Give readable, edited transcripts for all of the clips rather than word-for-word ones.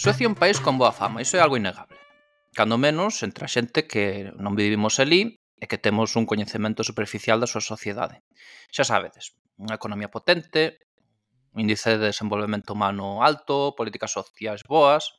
Suecia é un país con boa fama, iso é algo innegable. Cando menos entre a xente que non vivimos alí e que temos un coñecemento superficial da súa sociedade. Xa sabedes, unha economía potente, un índice de desenvolvemento humano alto, políticas sociais boas,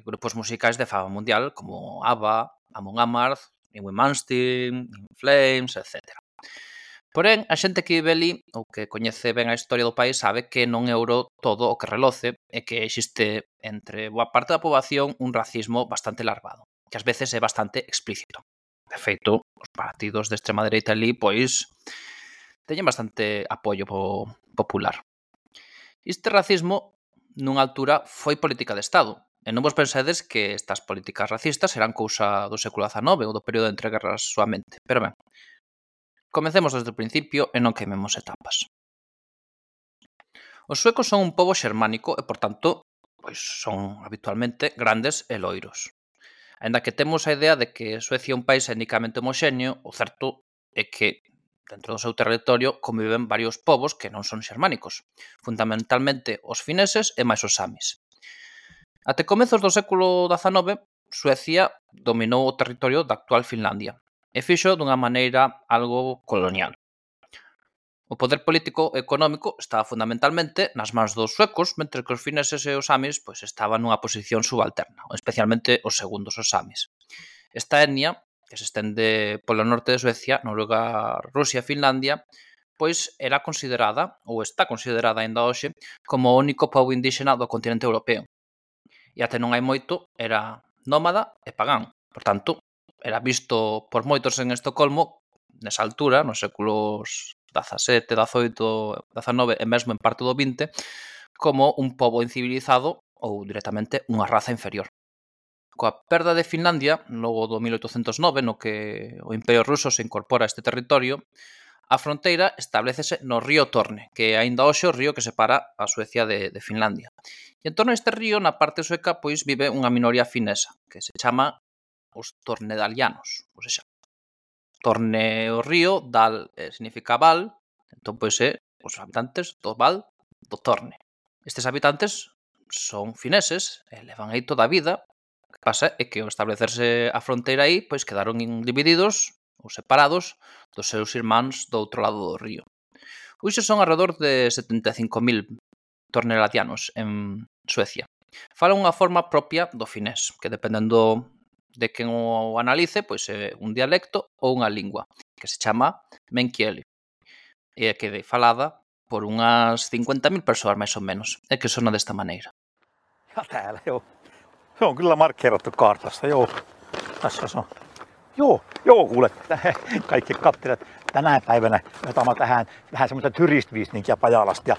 grupos musicais de fama mundial como ABBA, Amon Amarth, Yngwie Malmsteen, In Flames, etc. Porén, a xente que vive ali ou que coñece ben a historia do país sabe que non é ouro todo o que reloce e que existe entre boa parte da poboación un racismo bastante larvado, que ás veces é bastante explícito. De feito, os partidos de extrema dereita ali, pois, teñen bastante apoio popular. Este racismo, nunha altura, foi política de Estado, e non vos pensedes que estas políticas racistas eran cousa do século XIX ou do período entre guerras soamente. Pero ben, comecemos desde o principio e non queimemos etapas. Os suecos son un pobo xermánico e, por tanto, pois son habitualmente grandes e loiros. Aínda que temos a idea de que Suecia é un país étnicamente homoxéneo, o certo é que dentro do seu territorio conviven varios povos que non son xermánicos, fundamentalmente os fineses e máis os samis. Até comezos do século XIX, Suecia dominou o territorio da actual Finlandia e fixo dunha maneira algo colonial. O poder político e económico estaba fundamentalmente nas mans dos suecos, mentre que os fineses e os samis pois, estaban nunha posición subalterna, especialmente os segundos, os samis. Esta etnia, que se estende polo norte de Suecia, Noruega, Rusia e Finlandia, pois era considerada, ou está considerada aínda hoxe, como o único pobo indíxena do continente europeo. E até non hai moito, era nómada e pagán. Por tanto, era visto por moitos en Estocolmo, nesa altura, nos séculos XVII, XVIII, XIX e mesmo en parte do XX, como un pobo incivilizado ou directamente unha raza inferior. Coa perda de Finlandia, logo do 1809, no que o Imperio Ruso se incorpora a este territorio, a fronteira establecese no río Torne, que é aínda hoxe o río que separa a Suecia de Finlandia. E en torno a este río, na parte sueca, pois vive unha minoría finesa, que se chama os tornedalianos. Ou seja, Torne o río, dal significa val, entón pois é os habitantes do val do Torne. Estes habitantes son fineses e levan aí toda a vida. O que pasa é que ao establecerse a fronteira aí, pois quedaron divididos ou separados dos seus irmáns do outro lado do río. Hoxe son alrededor de 75.000 tornelatianos en Suecia. Falan unha forma propia do finés, que dependendo de quen o analice, pois é un dialecto ou unha lingua, que se chama menkieli, e que é falada por unhas 50.000 persoas máis ou menos, e que sona desta maneira. Ja täällä joo. Se on kyllä markkeerattu kartassa, joo. Tässä se on. Joo, kuule, kaikki katselevat tänä päivänä otamme tähän vähän semmoista turistvisninkiä Pajalasta. Ja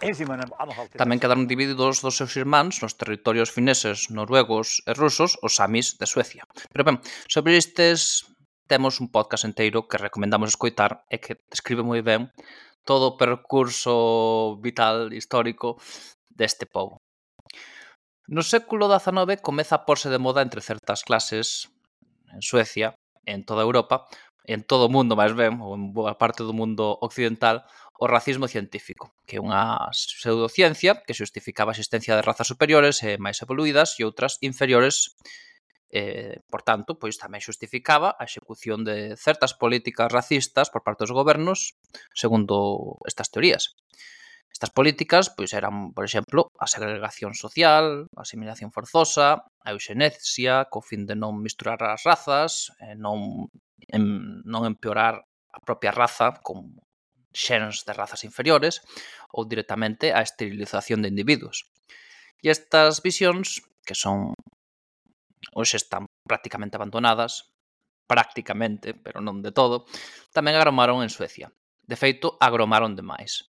ensimmäinen anhalti... Tamén quedaron divididos dos seus irmáns nos territorios fineses, noruegos e rusos, os samis de Suecia. Pero ben, sobre estes temos un podcast inteiro que recomendamos escoitar e que describe moi ben todo o percurso vital histórico deste pobo. No século XIX comeza a porse de moda entre certas clases en Suecia, en toda Europa, en todo o mundo máis ben, ou en boa parte do mundo occidental, o racismo científico, que é unha pseudociencia que xustificaba a existencia de razas superiores e máis evoluídas e outras inferiores. Por tanto, pois tamén xustificaba a execución de certas políticas racistas por parte dos gobernos segundo estas teorías. Estas políticas pois eran, por exemplo, a segregación social, a asimilación forzosa, a euxenesia, co fin de non misturar as razas, non empeorar a propia raza con xéns de razas inferiores ou directamente a esterilización de individuos. E estas visións, que son hoxe están prácticamente abandonadas, pero non de todo, tamén agromaron en Suecia. De feito, agromaron demais.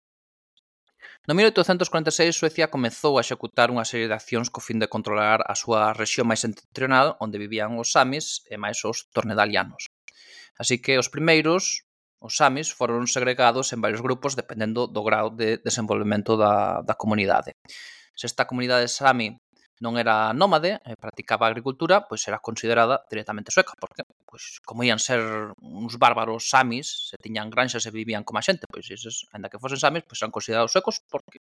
No 1846, Suecia comezou a executar unha serie de accións co fin de controlar a súa rexión máis septentrional, onde vivían os samis e máis os tornedalianos. Así que os primeiros, os samis, foron segregados en varios grupos dependendo do grau de desenvolvemento da comunidade. Se esta comunidade sami non era nómade e practicaba a agricultura, pois era considerada directamente sueca, porque pois, como ian ser uns bárbaros samis, se tiñan granxas e vivían como a xente, pois eses, ainda que fosen samis, pois eran considerados suecos porque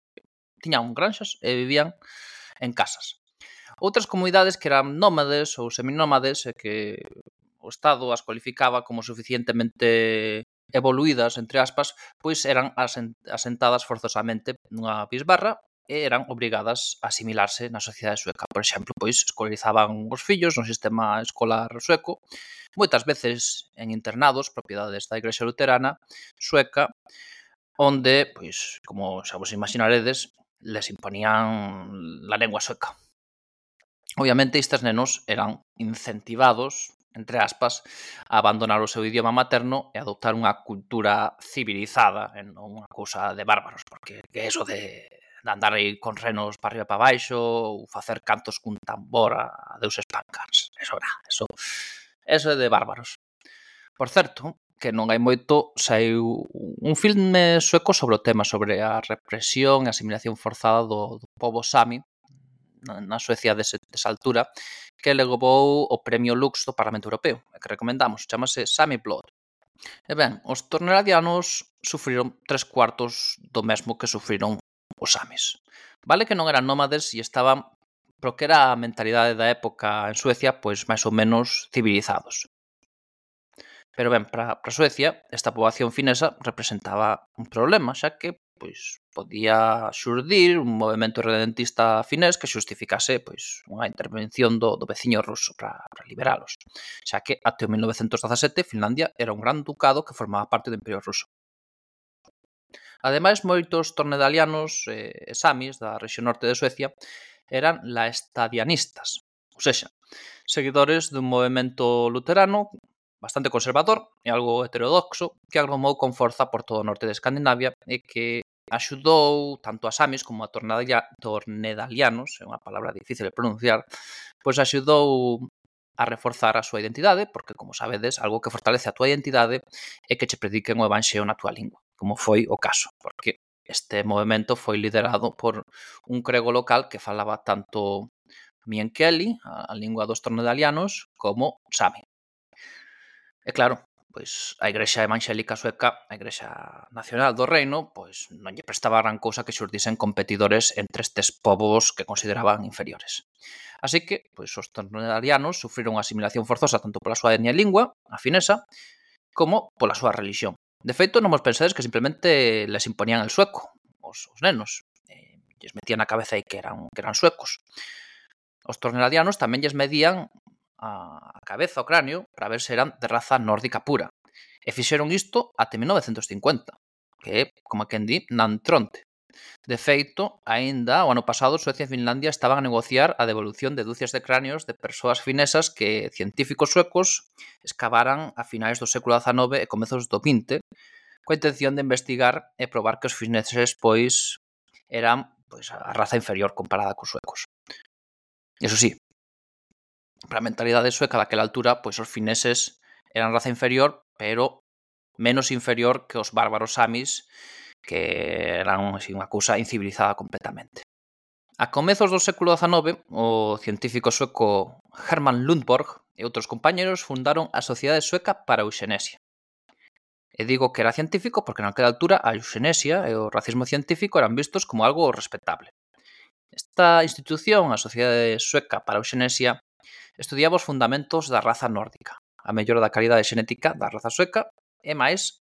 tiñan granxas e vivían en casas. Outras comunidades que eran nómades ou seminómades e que o Estado as cualificaba como suficientemente evoluídas, entre aspas, pois eran asentadas forzosamente nunha bisbarra e eran obrigadas a asimilarse na sociedade sueca. Por exemplo, pois escolarizaban os fillos no sistema escolar sueco, moitas veces en internados, propiedades da Igrexa Luterana sueca, onde, pois, como xa vos imaginaredes, les imponían a lengua sueca. Obviamente, estes nenos eran incentivados, entre aspas, a abandonar o seu idioma materno e adoptar unha cultura civilizada, e non unha cousa de bárbaros, porque que eso de andar aí con renos para arriba e para baixo ou facer cantos cun tambor a deuses pancans. Eso é de bárbaros. Por certo, que non hai moito, saiu un filme sueco sobre o tema, sobre a represión e asimilación forzada do pobo Sami na Suecia desa altura, que levou o premio Lux do Parlamento Europeo, que recomendamos, chamase Sami Blood. E ben, os torneladianos sufriron 3/4 do mesmo que sufriron os samis. Vale que non eran nómades e estaban, pro que era a mentalidade da época en Suecia, pois máis ou menos civilizados. Pero ben, para Suecia, esta poboación finesa representaba un problema, xa que pois podía xurdir un movemento redentista finés que xustificase pois unha intervención do veciño ruso para liberalos, xa que até o 1917 Finlandia era un gran ducado que formaba parte do Imperio Ruso. Ademais, moitos tornedalianos e samis da rexión norte de Suecia eran laestadianistas, ou sexa, seguidores dun movemento luterano bastante conservador e algo heterodoxo que agromou con forza por todo o norte de Escandinavia e que axudou tanto a samis como a tornedalianos, é unha palabra difícil de pronunciar, pois axudou a reforzar a súa identidade, porque, como sabedes, algo que fortalece a túa identidade é que che prediquen o evanxeo na túa lingua, como foi o caso, porque este movimento foi liderado por un crego local que falaba tanto Mienkieli, a lingua dos tornedalianos, como Sami. E claro, pois a Igrexa Evanxélica Sueca, a Igrexa Nacional do Reino, pois non lle prestaba gran cousa que xurdisen competidores entre estes povos que consideraban inferiores. Así que, pois os tornedalianos sufriron unha asimilación forzosa tanto pola súa etnia e lingua, a finesa, como pola súa religión. De feito, non vos pensedes que simplemente les imponían el sueco, os nenos, lles metían na cabeza aí que eran suecos. Os tornedalianos tamén lles medían a cabeza, o cráneo, para ver se eran de raza nórdica pura. E fixeron isto até 1950, que é, como quen di, nan tronte. De feito, aínda o ano pasado, Suecia e Finlandia estaban a negociar a devolución de dúcias de cráneos de persoas finesas que científicos suecos escavaran a finais do século XIX e comezos do XX, coa intención de investigar e probar que os fineses, pois, eran pois a raza inferior comparada cos suecos. Iso sí, para a mentalidade sueca daquela altura, pois os fineses eran raza inferior, pero menos inferior que os bárbaros samis, que eran así, unha cousa incivilizada completamente. A comezos do século XIX, o científico sueco Hermann Lundborg e outros compañeros fundaron a Sociedade Sueca para a Euxenesia. E digo que era científico porque naquela altura a euxenesia e o racismo científico eran vistos como algo respetable. Esta institución, a Sociedade Sueca para a Euxenesia, estudiaba os fundamentos da raza nórdica, a mellora da calidade xenética da raza sueca e máis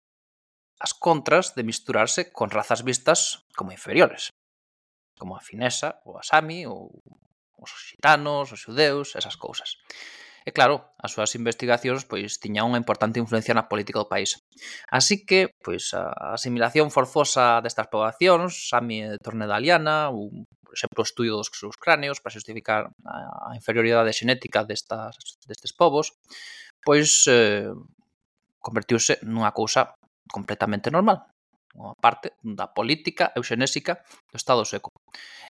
as contras de misturarse con razas vistas como inferiores, como a finesa, ou a sami, ou os xitanos, os xudeus, esas cousas. E claro, as súas investigacións pois tiñan unha importante influencia na política do país. Así que, pois, a asimilación forzosa destas poboacións, sami e tornedaliana, ou, por exemplo, o estudio dos seus cráneos para justificar a inferioridade xenética destes povos, pois convertiuse nunha cousa completamente normal, unha parte da política euxenésica do Estado sueco.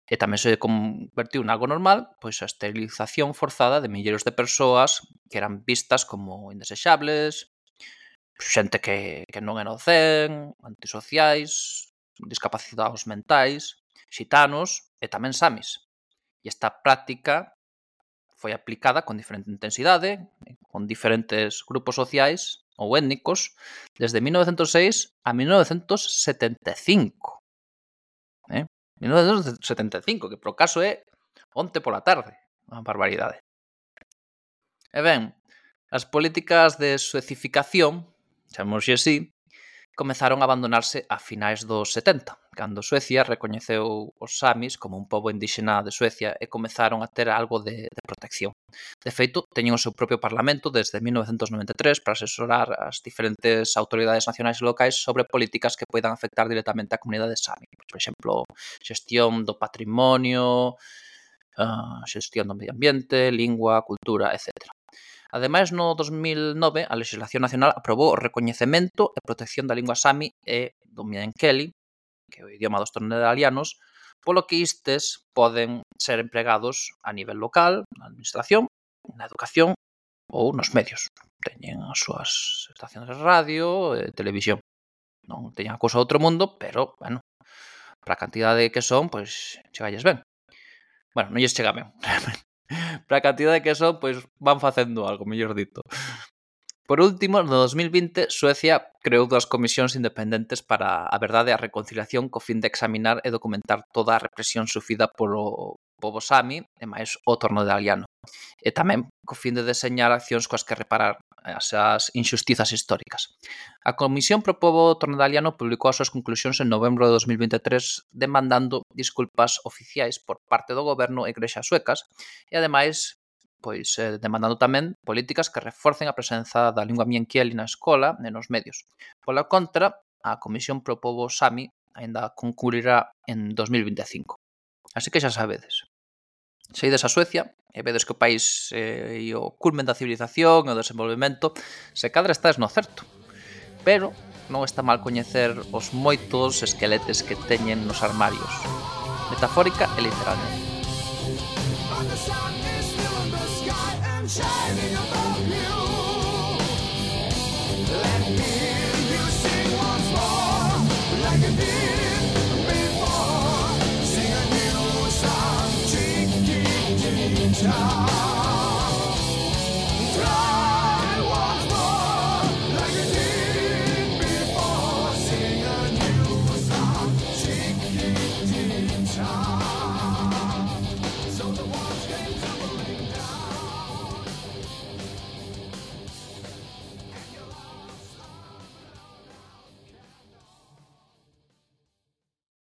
E tamén se convertiu en algo normal pois a esterilización forzada de milleiros de persoas que eran vistas como indesexables, xente que non era o zen, antisociais, discapacitados mentais, xitanos e tamén samis. E esta práctica foi aplicada con diferente intensidade, con diferentes grupos sociais ou étnicos, desde 1906 a 1975. 1975, que por caso é onte pola tarde. Unha barbaridade. E ben, as políticas de suecificación, chamémoslle así, comezaron a abandonarse a finais dos 70, cando Suecia recoñeceu os samis como un pobo indíxena de Suecia e comezaron a ter algo de protección. De feito, teñen o seu propio parlamento desde 1993 para asesorar as diferentes autoridades nacionais e locais sobre políticas que poidan afectar directamente á comunidade sami. Por exemplo, xestión do patrimonio, xestión do medio ambiente, lingua, cultura, etc. Ademais, no 2009, a legislación nacional aprobou o recoñecemento e protección da lingua sami e do meänkieli, que é o idioma dos tornedalianos, polo que istes poden ser empregados a nivel local, na administración, na educación ou nos medios. Teñen as súas estacións de radio e televisión. Non teñen a cousa do outro mundo, pero, bueno, para a cantidade que son, pois, chegalles ben. Bueno, non lles chega ben, realmente. Para a cantidade que son, pois van facendo algo, mellor dito. Por último, no 2020, Suecia creou 2 comisións independentes para a verdade e a reconciliación co fin de examinar e documentar toda a represión sufrida polo pobo sami e máis o tornedaliano. E tamén co fin de deseñar accións coas que reparar esas injustizas históricas. A Comisión pro Pobo Tornedaliano publicou as súas conclusións en novembro de 2023 demandando disculpas oficiais por parte do goberno e igrexas suecas e, ademais, pois demandando tamén políticas que reforcen a presenza da lingua meänkieli na escola e nos medios. Pola contra, a Comisión pro Pobo Sami aínda concluirá en 2025. Así que xa sabedes. Se ides a Suecia e vedes que o país é o culmen da civilización e o desenvolvemento, se cadra estás no certo. Pero non está mal coñecer os moitos esqueletes que teñen nos armarios, metafórica e literalmente. Shining above you. Let me